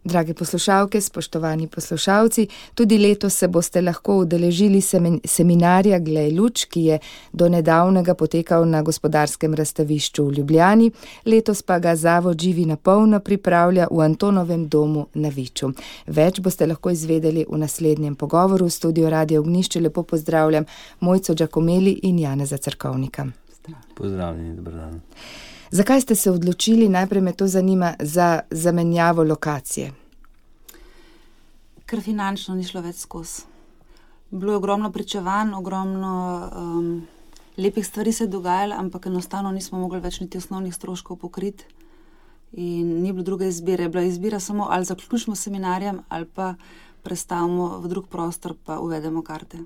Drage poslušalke, spoštovani poslušalci, tudi letos se boste lahko udeležili seminarja Glej luč, ki je do nedavnega potekal na Gospodarskem razstavišču v Ljubljani, letos pa ga Zavod Živi na polno pripravlja v Antonovem domu na Viču. Več boste lahko izvedeli v naslednjem pogovoru. V studiu Radio Ognjišče lepo pozdravljam Mojco Giacomeli in Janeza Cerkovnika. Pozdravljeni, dober dan. Zakaj ste se odločili, najprej me to zanima, za zamenjavo lokacije? Ker finančno ni šlo več skozi. Bilo je ogromno pričevanj, ogromno lepih stvari se je dogajalo, ampak enostavno nismo mogli več niti osnovnih stroškov pokriti in ni bilo druge izbire. Je bila izbira samo ali zaključimo s seminarjem ali pa prestavimo v drug prostor pa uvedemo karte.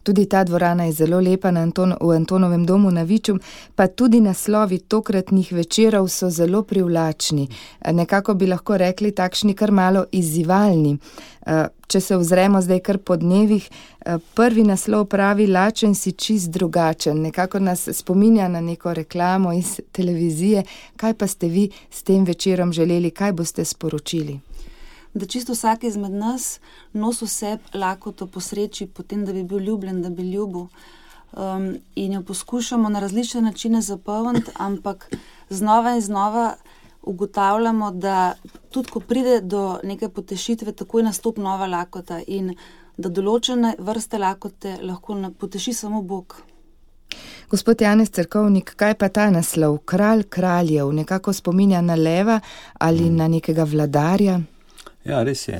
Tudi ta dvorana je zelo lepa v Antonovem domu na Viču, pa tudi naslovi tokratnih večerov so zelo privlačni. Nekako bi lahko rekli takšni kar malo izzivalni. Če se ozremo zdaj kar po dnevih, prvi naslov pravi Lačen si čist drugačen. Nekako nas spominja na neko reklamo iz televizije. Kaj pa ste vi s tem večerom želeli, kaj boste sporočili? Da čisto vsak izmed nas nosi vse lakoto po sreči, potem, da bi bil ljubljen, da bi ljubil. In jo poskušamo na različne načine zapolniti, ampak znova in znova ugotavljamo, da tudi ko pride do neke potešitve, takoj nastopi nova lakota in da določene vrste lakote lahko poteši samo Bog. Gospod Janez Cerkovnik, kaj pa ta naslov? Kralj kraljev, nekako spominja na leva ali na nekega vladarja? Ja, res je.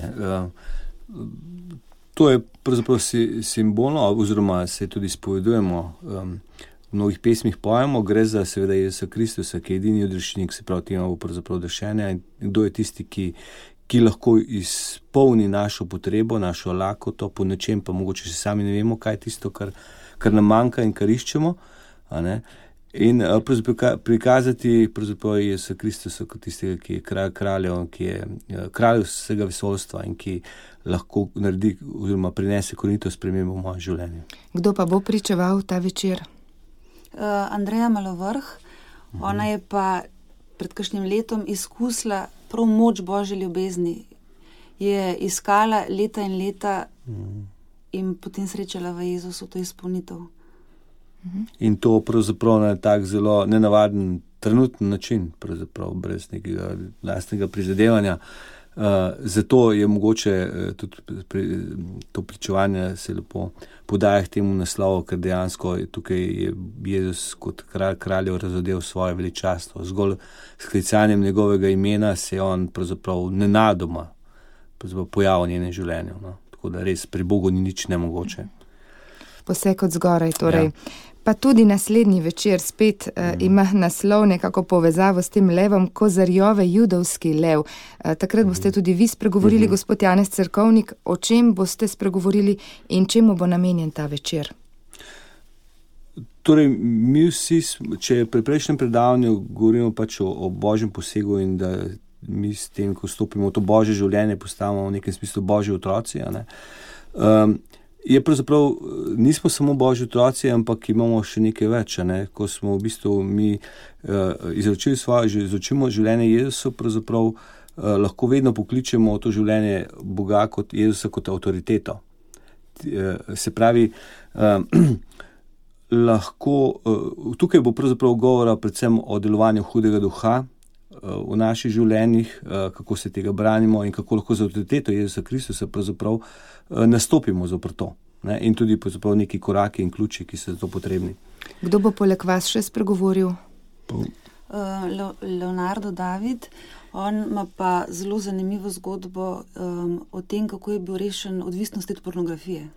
To je pravzaprav simbolno, oziroma se tudi spovedujemo, v mnogih pesmih pojemo, gre za seveda Jezusa Kristusa, ki je edini odrešenik, se pravi tema bo pravzaprav odrešenja in kdo je tisti, ki lahko izpolni našo potrebo, našo lakoto, po nečem pa mogoče še sami ne vemo, kaj je tisto, kar nam manjka in kar iščemo, a ne? In prikazati pravzaprav Jezusa Kristusa kot tistega, ki je kralj kraljev, ki je kralj vsega vesoljstva in ki lahko naredi oziroma prinese korenito spremembo v moje življenje. Kdo pa bo pričeval ta večer? Andreja Malovrh. Ona je pa pred kakšnim letom izkusila prav moč Božje ljubezni. Je iskala leta in leta in potem srečala v Jezusu to izpolnitev. In to pravzaprav na tak zelo nenavaden trenutni način, pravzaprav brez nekega lastnega prizadevanja. Zato je mogoče tudi to pričevanje se lepo podaja k temu naslovu, ker dejansko tukaj je Jezus kot kralj kraljev razodel svoje veličastvo. Zgolj s klicanjem njegovega imena se je on pravzaprav nenadoma pojavil v njenem življenju. No? Tako da res pri Bogu ni nič nemogoče. Poseg od zgoraj, torej. Ja. Pa tudi naslednji večer spet ima naslov nekako povezavo s tem levom, Kozarjove judovski lev. Takrat boste tudi vi spregovorili, gospod Janez Cerkovnik, o čem boste spregovorili in čemu bo namenjen ta večer? Torej, mi vsi, če pri prejšnjem predavanju govorimo pač o Božjem posegu in da mi s tem, ko vstopimo v to Božje življenje, postavimo v nekem smislu Božji otroci, a ne? Je pravzaprav, nismo samo Božji otroci, ampak imamo še nekaj več, ne? Ko smo v bistvu mi izučimo življenje Jezusa, pravzaprav lahko vedno pokličemo to življenje Boga kot Jezusa kot avtoriteto. Se pravi, lahko, tukaj bo pravzaprav govora predvsem o delovanju hudega duha v naših življenjih, kako se tega branimo in kako lahko z avtoriteto Jezusa Kristusa pravzaprav nastopimo zopr to. Ne? In tudi pravzaprav neki koraki in ključi, ki so za to potrebni. Kdo bo poleg vas še spregovoril? Leonardo David. On ima pa zelo zanimivo zgodbo o tem, kako je bil rešen odvisnosti od pornografije.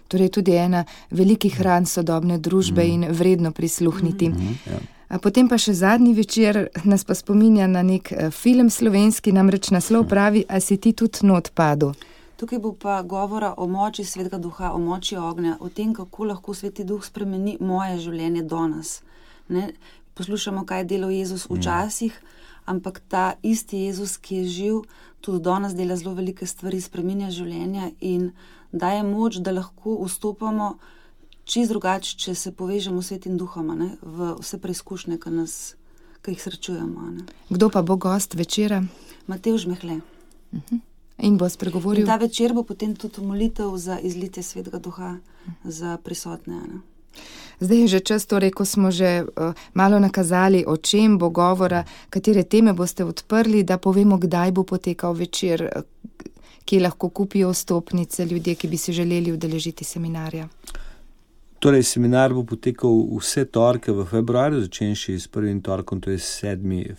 Torej tudi ena velikih ran sodobne družbe in vredno prisluhniti. Ja. A potem pa še zadnji večer nas pa spominja na nek film slovenski, namreč naslov pravi, a si ti tudi not padel. Tukaj bo pa govora o moči Svetega Duha, o moči ognja, o tem, kako lahko Sveti Duh spremeni moje življenje danes. Ne? Poslušamo, kaj je delal Jezus včasih, ampak ta isti Jezus, ki je živ, tudi danes dela zelo velike stvari, spreminja življenja in daje moč, da lahko vstopamo čisto drugače, če se povežemo s Svetim Duhom, ne? V vse preizkušnje, ki jih srečujemo. Ne? Kdo pa bo gost večera? Matevž Mehle. In bo spregovoril. In ta večer bo potem tudi molitev za izlitje Svetega Duha za prisotne. Ne? Zdaj je že čas, torej, ko smo že malo nakazali, o čem bo govora, katere teme boste odprli, da povemo, kdaj bo potekal večer, kje lahko kupijo vstopnice ljudje, ki bi se želeli udeležiti seminarja. Torej, seminar bo potekal vse torke v februarju, začenši s prvim torkom, to je 7.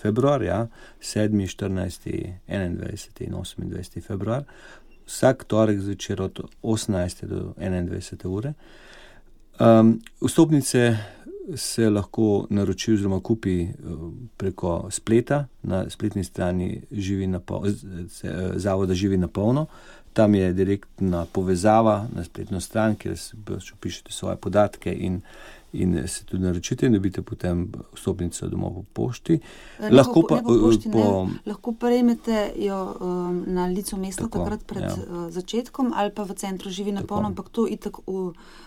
februar, 7., 14., 21. in 28. februar. Vsak torek zvečer od 18. do 21. ure. Vstopnice se lahko naroči oziroma kupi preko spleta na spletni strani Zavoda Živi na polno. Tam je direktna povezava na spletno stran, kjer vpišete svoje podatke in se tudi naročite in dobite potem vstopnico domov po pošti. Lahko prejmete jo na licu mesta takrat pred začetkom ali pa v centru Živi na polno, ampak to itak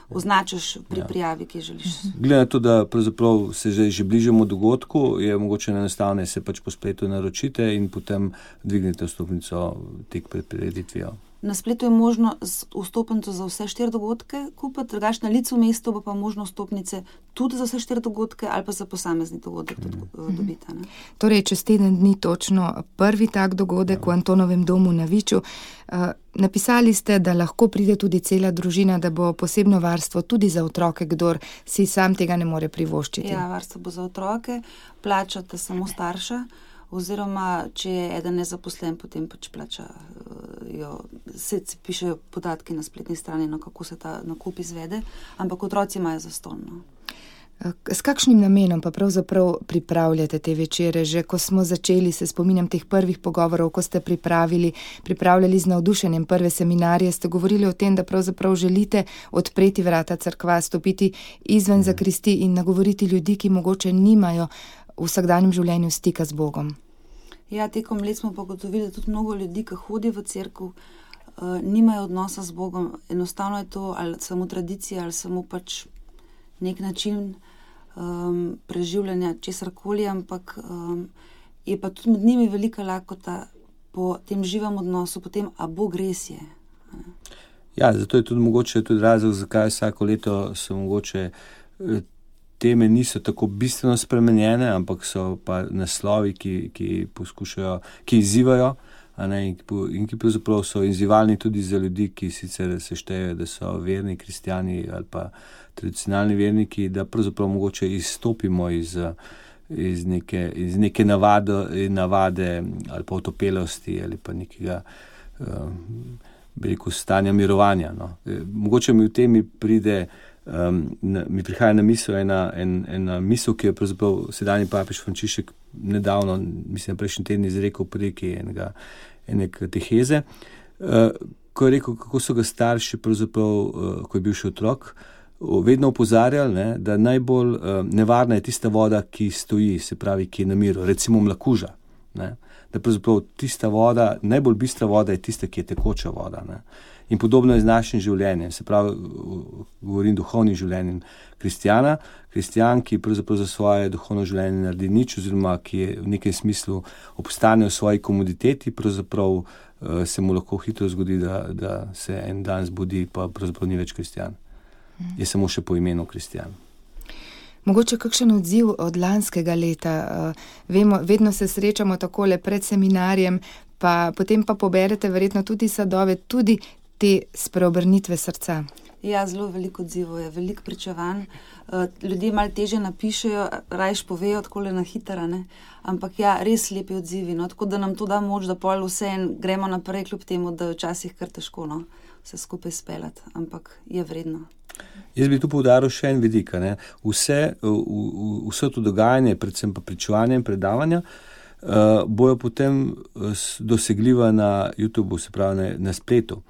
označiš pri prijavi, ki želiš. Glede na to, da pravzaprav se že bližamo dogodku, je mogoče enostavno se pač po spletu naročite in potem dvignete vstopnico tik pred prireditvijo. Na spletu je možno vstopnico za vse 4 dogodke kupiti, drugače na licu mesta bo pa možno vstopnice tudi za vse 4 dogodke ali pa za posamezni dogodek dobiti. Torej, čez teden dni točno prvi tak dogodek v Antonovem domu na Viču. Napisali ste, da lahko pride tudi cela družina, da bo posebno varstvo tudi za otroke, kdor si sam tega ne more privoščiti. Ja, varstvo bo za otroke, plačate samo starša, oziroma če je eden nezaposlen, potem pač plačajo, se pišejo podatki na spletni strani, kako se ta nakup izvede, ampak otroci imajo zastonj. S kakšnim namenom pa pravzaprav pripravljate te večere? Že ko smo začeli, se spominjam teh prvih pogovorov, ko ste pripravljali z navdušenjem prve seminarje, ste govorili o tem, da pravzaprav želite odpreti vrata cerkva, stopiti izven zakristi in nagovoriti ljudi, ki mogoče nimajo v vsakdanjem življenju stika z Bogom. Ja, tekom let smo pa ugotovili, da tudi mnogo ljudi, ki hodi v cerkev, nimajo odnosa z Bogom. Enostavno je to ali samo tradicija, ali samo pač nek način preživljanja česarkoli, ampak je pa tudi med njimi velika lakota po tem živem odnosu, po tem, a Bog res je. Ja, zato je tudi mogoče tudi razlog, zakaj vsako leto so mogoče teme niso tako bistveno spremenjene, ampak so pa naslovi, ki poskušajo, ki izzivajo, in ki pravzaprav so izzivalni tudi za ljudi, ki sicer se štejejo, da so verni kristjani ali pa tradicionalni verniki, da pravzaprav mogoče izstopimo iz neke navade ali pa otopelosti ali pa nekega stanja mirovanja. No. Mogoče mi v temi mi prihaja na misel ena misel, ki je pravzaprav sedanji papež Frančišek nedavno, mislim, prejšnji teden izrekel preki ene kateheze, ko je rekel, kako so ga starši pravzaprav, ko je bil še otrok, vedno opozarjali, da najbolj nevarna je tista voda, ki stoji, se pravi, ki je na miru, recimo mlakuža. Da pravzaprav tista voda, najbolj bistra voda je tista, ki je tekoča voda. In podobno je z našim življenjem, se pravi, govorim duhovnim življenjem kristjan, ki pravzaprav za svoje duhovno življenje naredi nič, oziroma ki je v nekem smislu obstane v svoji komoditeti, pravzaprav se mu lahko hitro zgodi, da se en dan zbudi, pa pravzaprav ni več kristjan. Je samo še po imenu kristjan. Mogoče kakšen odziv od lanskega leta? Vedno se srečamo takole pred seminarjem, pa potem pa poberete verjetno tudi sadove, tudi te spreobrnitve srca. Ja, zelo veliko odzivov je, veliko pričevanj. Ljudje malo težje napišejo, rajš povejo takole na hitro, ampak ja, res lepi odzivi, tako da nam to da moč, da pol vseeno gremo naprej, kljub temu, da je včasih kar težko vse skupaj speljati, ampak je vredno. Jaz bi tu poudaril še en vidik, vse to dogajanje, predvsem pa pričevanje in predavanja, bojo potem dosegljiva na YouTubeu, se pravi na spletu.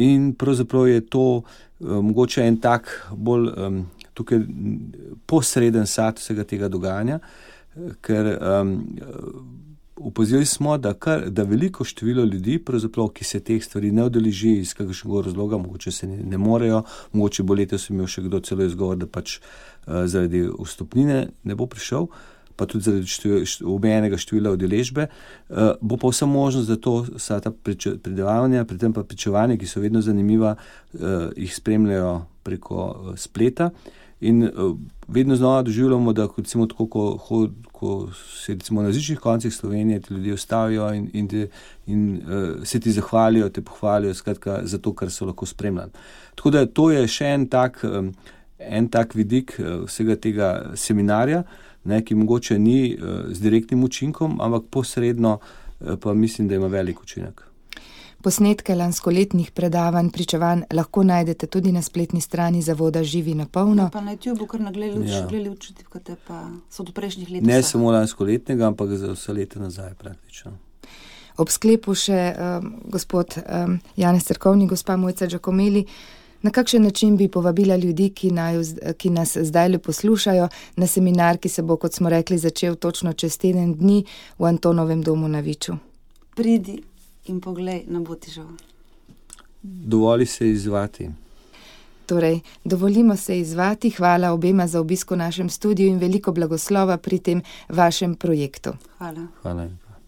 In pravzaprav je to mogoče en tak bolj tukaj posreden sad vsega tega dogajanja, ker opazili smo, da veliko število ljudi, pravzaprav, ki se teh stvari ne udeleži iz kakšnega razloga, mogoče se ne morejo, mogoče bo letos imel še kdo celo izgovor, da pač zaradi vstopnine ne bo prišel, pa tudi zaradi omejenega števila udeležbe. Bo pa vsa možnost, da to vsa ta predavanja, predtem pa pričevanja, ki so vedno zanimiva, jih spremljajo preko spleta. In vedno znova doživljamo, da recimo tako, ko se recimo na različnih koncih Slovenije ti ljudje ustavijo in se ti zahvalijo, te pohvalijo, skratka, za to, kar so lahko spremljali. Tako da to je še en tak vidik vsega tega seminarja, ne, ki mogoče ni z direktnim učinkom, ampak posredno pa mislim, da ima velik učinek. Posnetke lanskoletnih predavanj, pričevanj lahko najdete tudi na spletni strani Zavoda Živi na polno. Pa na YouTubeu kar nagledali učitke, pa so od prejšnjih let. Ne samo lanskoletnega, ampak za vse leta nazaj praktično. Ob sklepu še gospod Janez Cerkovnik, gospa Mojca Giacomelli, na kakšen način bi povabila ljudi, ki nas zdaj le poslušajo, na seminar, ki se bo, kot smo rekli, začel točno čez teden dni v Antonovem domu na Viču? Pridi in poglej, ne bo ti žal. Dovoli se izzvati. Torej, dovolimo se izzvati. Hvala obema za obisk v našem studiu in veliko blagoslova pri tem vašem projektu. Hvala. Hvala.